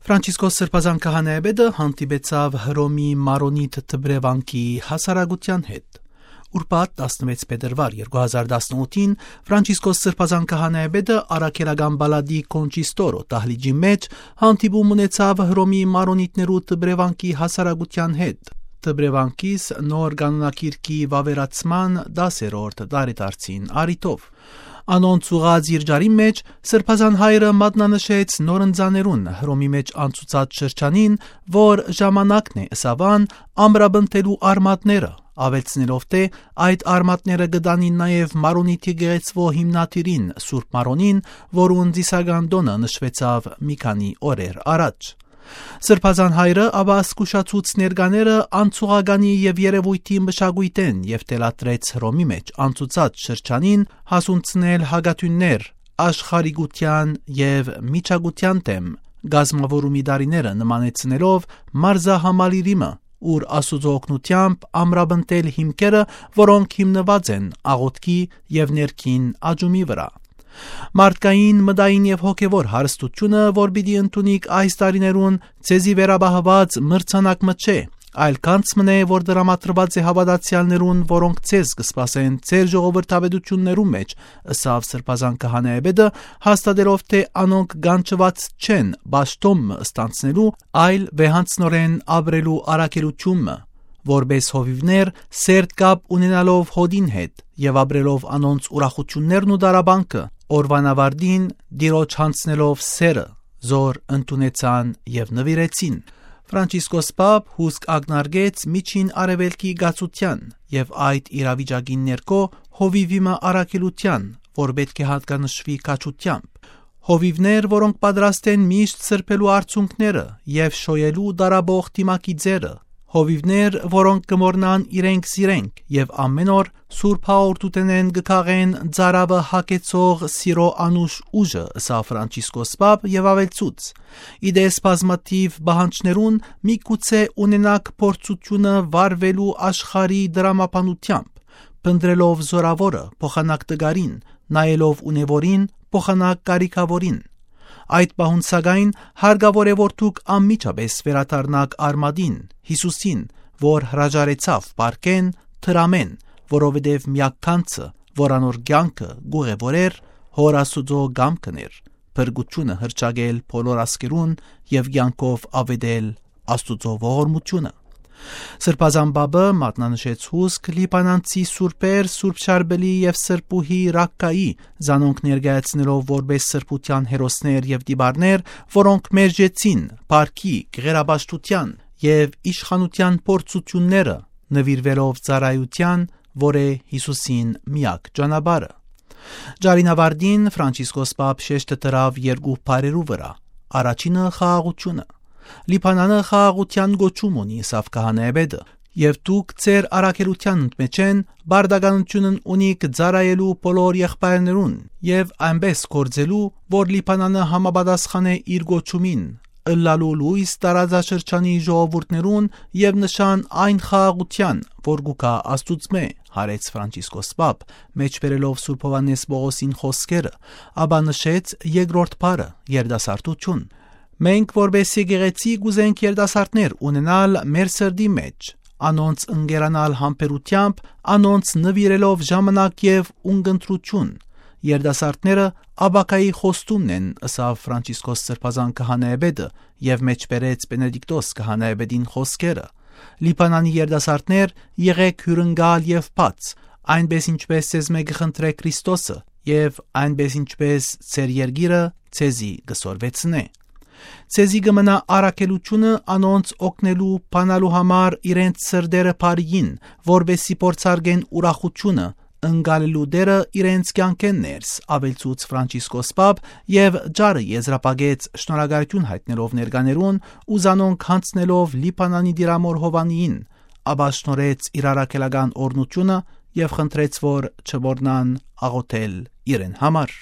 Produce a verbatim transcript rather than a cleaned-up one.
Ֆրանցիսկոս Սրբազան քահանայապետը հանդիպեցաւ Հռոմի Մարոնիտ Դբրեվանքի հասարակութեան հետ։ Ուրբաթ, տասնվեց փետրուար երկու հազար տասնութին, Ֆրանցիսկոս Սրբազան քահանայապետը առաքելական պալատի Կոնչիստորո դահլիճի մէջ հանդիպում ունեցաւ Հռոմի Մարոնիտներու Դբրեվանքի հասարակութեան հետ։ Դբրեվանքիս նոր կանոնագիրքի վաւերացման տասերորդ տարեդարձին առիթով։ Անոնց ուղղած իր ճառին մէջ Սրբազան հայրը մատնանշեց նորընծաներուն Հռոմի մէջ անցուցած շրջանին, որ ժամանակն է, ըսաւ ան, ամրապնդելու արմատները, աւելցնելով թէ այդ արմատները կը տանին նաեւ Մարոնիթի գեղեցկու հիմնադիրին, Սուրբ Մարոնին, որուն ծիսական տօնը նշուեցաւ մի քանի օրեր առաջ։ Սրբազան հայրը ապա զգուշացուց ներկաները անցուղականի եւ երեւոյթի մշակոյթէն եւ թելադրեց Հռոմի մէջ անցուցած շրջանին հասունցնել հակատիւններ աշխարհիկութեան եւ միջակայության դէմ կազմաւորումի տարիները նմանեցնելով մարզահամալիրի մը, ուր Աստուծոյ օգնութեամբ ամրապնդել հիմքերը, որոնք հիմնուած են աղօթքի եւ ներքին աճումի վրայ։ Մարդկային, մտային եւ հոգեւոր հարստությունը, որ պիտի ընդունիք այս տարիներուն, ձեզի վերապահուած մրցանակ մը չէ, այլ գանձ մըն է, որ տրամադրուած է հաւատացեալներուն, որոնք ձեզ կը սպասեն ձեր ժողովրդավետութիւններու մէջ, ըսաւ Սրբազան քահանայապետը, հաստատելով թէ անոնք կանչուած չեն պաշտօն մը ստանձնելու, այլ վեհանձնօրէն ապրելու առաքելութիւն մը, որպէս հովիւներ, սերտ կապ ունենալով հօտին հետ եւ ապրելով անոնց ուրախութիւններն ու տառապանքը, օրուան աւարտին Տիրոջ յանձնելով սէրը, զոր ընդունեցան եւ նուիրեցին։ Ֆրանցիսկոս Պապ հուսկ ակնարկեց Միջին Արեւելքի կացութեան եւ այդ իրավիճակին ներքո հովիւի մը առաքելութեան, որ պէտք է յատկանշուի քաջութեամբ։ Հովիւներ, որոնք պատրաստ են միշտ սրբելու արցունքները եւ շոյելու տառապող դիմագիծերը, հովիւներ, որոնք կը մոռնան իրենք զիրենք եւ ամէն օր Սուրբ Հաղորդութենէն կը քաղեն ծարաւը հագեցող սիրո անուշ ուժը, ըսաւ Ֆրանցիսկոս Պապ եւ աւելցուց. «Ի տես բազմաթիւ պահանջներուն, միգուցե ունենաք փորձութիւնը վարուելու աշխարհի դրամաբանութեամբ, փնտռելով զօրաւորը, փոխանակ տկարին, նայելով ունեւորին, փոխանակ կարիքաւորին։ Այդ պահուն, սակայն, հարկաւոր է, որ դուք անմիջապէս վերադառնաք արմատին, Յիսուսին, որ հրաժարեցաւ պարկէն, դրամէն, որովհետեւ միակ գանձը, որ անոր կեանքը կ'ուղևորէր, Հօր Աստուծոյ կամքն էր, փրկութիւնը հռչակել բոլոր ազգերուն եւ կեանքով աւետել Աստուծոյ ողորմութիւնը»։ Սրբազան Պապը մատնանշեց հուսկ լիբանանցի սուրբեր Սուրբ Շարպելի եւ Սրբուհի Ռակկայի, զանոնք ներկայացնելով որպէս սրբութեան հերոսներ եւ տիպարներ, որոնք մերժեցին փառքի, գեղարաբաշխության եւ իշխանութեան փորձութիւնները, նուիրուելով ծառայութեան, որ է Յիսուսին միակ ճանապարհը։ Ճառին աւարտին Ֆրանցիսկոս Պապ շեշտը դրաւ երկու բառերու վրայ։ Առաջինը՝ խաղաղութիւնը։ «Լիբանանը խաղաղութեան կոչում ունի», ըսաւ քահանայապետը, «եւ դուք ձեր առաքելութեան մէջէն պարտականութիւնն ունիք ծառայելու բոլոր եղբայրներուն եւ այնպէս գործելու, որ Լիբանանը համապատասխանէ իր կոչումին, ըլլալու լոյս տարածաշրջանի ժողովուրդներուն եւ նշան այն խաղաղութեան, որ կու գայ Աստուծմէ», յարեց Ֆրանցիսկոս Պապ, մէջբերելով Սուրբ Յովհաննէս Պողոսին խօսքերը, ապա նշեց երկրորդ բառը՝ երիտասարդութիւն։ «Մենք, որպէս եկեղեցի, կ'ուզենք երիտասարդներ ունենալ մեր սրտի մէջ, անոնց ընկերանալ համբերութեամբ, անոնց նուիրելով ժամանակ եւ ունկնդրութիւն։ Երիտասարդները ապագայի խոստումն են», ըսաւ Ֆրանցիսկոս Սրբազան քահանայապետը եւ մէջբերեց Պենեդիկտոս քահանայապետին խօսքերը. «Լիբանանի երիտասարդներ, եղէք հիւրընկալ եւ բաց, այնպէս ինչպէս ձեզմէ կը խնդրէ Քրիստոսը, եւ այնպէս ինչպէս ձեր երկիրը ձեզի կը սորվեցնէ։ Ձեզի կը մնայ առաքելութիւնը անոնց օգնելու բանալու համար իրենց սրտերը բարիին, որպէս զի փորձարկեն ուրախութիւնը, ընկալելու Տէրը իրենց կեանքէն ներս», աւելցուց Ֆրանցիսկոս Պապ եւ ճառը եզրափակեց շնորհակալութիւն յայտնելով ներկաներուն ու զանոնք յանձնելով Լիբանանի Տիրամօր Յովհաննիին, ապա շնորհեց իր առաքելական օրհնութիւնը եւ խնդրեց, որ չմոռնան աղօթել իրեն համար։